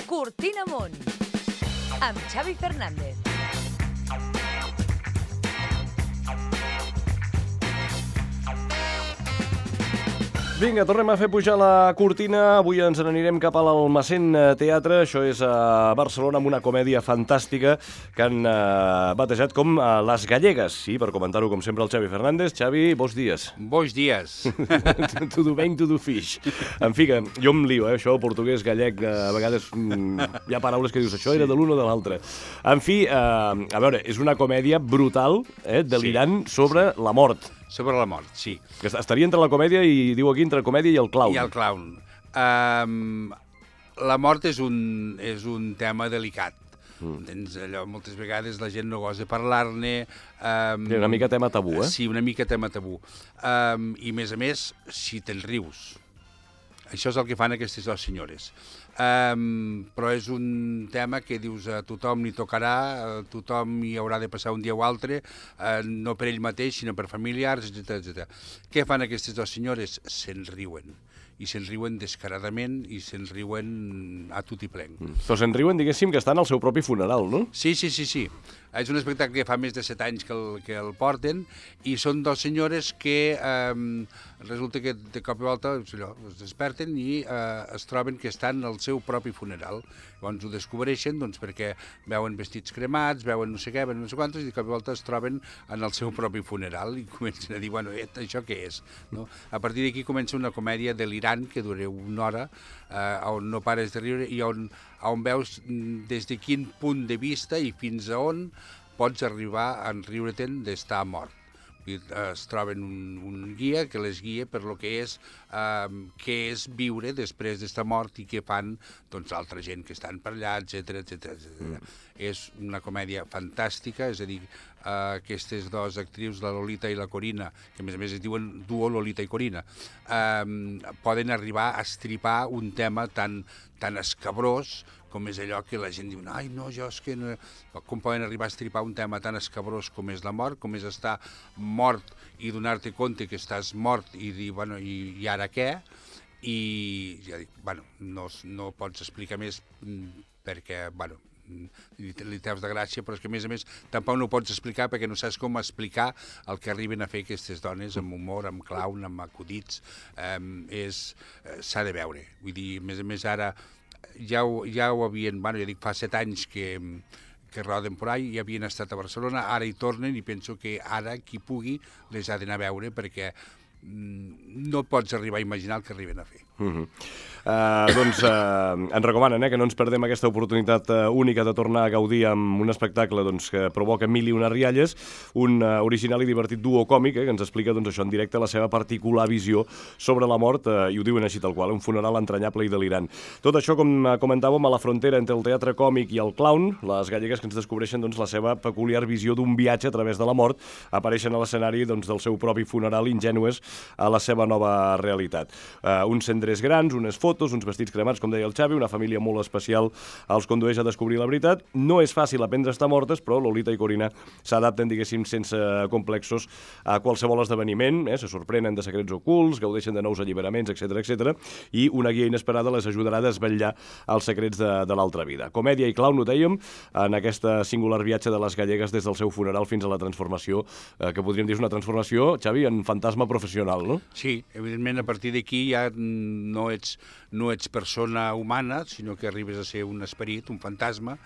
Cortina Amunt, amb Xavi Fernández. Vinga, tornem a fer pujar la cortina. Avui ens n'anirem cap a l'Almacén Teatre. Això és a Barcelona, amb una comèdia fantàstica que han batejat com Les Gallegues. Sí, per comentar-ho, com sempre, el Xavi Fernández. Xavi, bons dies. Bons dies. Tudo bem, tudo fixe. En fi, que jo em lio, això, portuguès, gallec, a vegades hi ha paraules que dius, això era de l'un o de l'altre. En fi, a veure, és una comèdia brutal, delirant, sobre la mort. Sobre la mort, sí. Que estaria entre la comèdia i, diu aquí, entre la comèdia i el clown. I el clown. La mort és un tema delicat. Entens? Allò, moltes vegades la gent no gosa parlar-ne. Una mica tema tabú, eh? Sí, una mica tema tabú. I, a més, si te'n rius. Això és el que fan aquestes dues senyores. Però és un tema que dius a tothom li tocarà, tothom hi haurà de passar un dia o altre, no per ell mateix, sinó per familiars, etc. Què fan aquestes dues senyores? Se'n riuen. I se'n riuen descaradament i se'n riuen a tot i plenc. Però se'n riuen, diguéssim, que estan al seu propi funeral, no? Sí. És un espectacle que fa més de 7 anys que el porten i són dues senyores que resulta que de cop i volta es desperten i es troben que estan al seu propi funeral. Llavors ho descobreixen perquè veuen vestits cremats, veuen no sé què, veuen no sé quantos, i de cop i volta es troben en el seu propi funeral i comencen a dir, bueno, això què és? No? A partir d'aquí comença una comèdia delirant que dura una hora, on no pares de riure i on veus des de quin punt de vista i fins a on pots arribar a riure-te'n d'estar mort. Es troben un guia que les guia per lo que és viure després d'estar mort i què fan l'altra gent que estan per allà, etc. És una comèdia fantàstica, és a dir, aquestes dues actrius, la Lolita i la Corina, que a més es diuen duo Lolita i Corina, poden arribar a estripar un tema tan escabrós com és allò que la gent diu, ai, no, jo és que no... Com poden arribar a estripar un tema tan escabrós com és la mort, com és estar mort i donar-te compte que estàs mort i dir, bueno, i ara què? I ja dic, bueno, no pots explicar més perquè, bueno, li treus de gràcia, però és que, a més, tampoc no ho pots explicar perquè no saps com explicar el que arriben a fer aquestes dones amb humor, amb clown, amb acudits. S'ha de veure. Vull dir, a més, ara ja ho havien, bueno, ja dic, fa 7 anys que roden per ahí, ja havien estat a Barcelona, ara hi tornen i penso que ara qui pugui les ha d'anar a veure perquè no pots arribar a imaginar el que arriben a fer. Doncs ens recomanen que no ens perdem aquesta oportunitat única de tornar a gaudir amb un espectacle que provoca mil i una rialles, un original i divertit duo còmic que ens explica això en directe, la seva particular visió sobre la mort, i ho diuen així tal qual, un funeral entranyable i delirant. Tot això, com comentàvem, a la frontera entre el teatre còmic i el clown, les gallegues que ens descobreixen la seva peculiar visió d'un viatge a través de la mort, apareixen a l'escenari del seu propi funeral, ingènues a la seva nova realitat. Uns cendrers grans, unes fotos, uns vestits cremats, com deia el Xavi, una família molt especial els condueix a descobrir la veritat. No és fàcil aprendre a estar mortes, però Lolita i Corina s'adapten, diguéssim, sense complexos a qualsevol esdeveniment, se sorprenen de secrets ocults, gaudeixen de nous alliberaments, etc. I una guia inesperada les ajudarà a desvetllar els secrets de l'altra vida. Comèdia i clown, ho dèiem, en aquesta singular viatge de les gallegues des del seu funeral fins a la transformació, que podríem dir és una transformació, Xavi, en fantasma professional, no? Sí, evidentment, a partir d'aquí ja no ets persona humana, sinó que arribes a ser un esperit, un fantasma,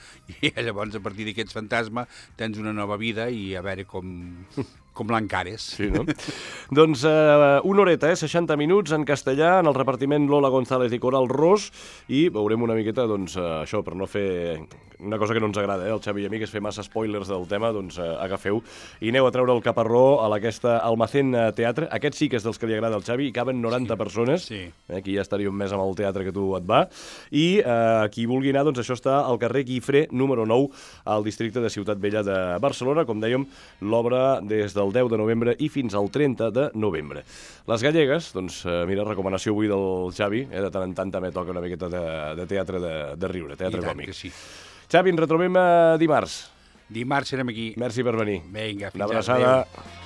i llavors a partir d'aquest fantasma tens una nova vida i a veure com l'encares. Sí, no? Doncs una horeta, 60 minuts en castellà, en el repartiment Lola González i Coral Ros, i veurem una miqueta, això, per no fer una cosa que no ens agrada, el Xavi i a mi, que és fer massa spoilers del tema, agafeu i aneu a treure el caparró a aquesta Almacén Teatre. Aquest sí que és dels que li agrada al Xavi, hi caben 90 persones, aquí ja estaríem més amb el teatre que tu et va, i qui vulgui anar, això està al carrer Guifré, número 9, al districte de Ciutat Vella de Barcelona, com dèiem, l'obra des del 10 de novembre i fins al 30 de novembre. Les gallegues, mira, recomanació avui del Xavi, de tant en tant també toca una miqueta de teatre de riure, teatre còmic. Sí. Xavi, ens retrobem dimarts. Dimarts serem aquí. Merci per venir. Vinga, fins una abraçada. Adéu.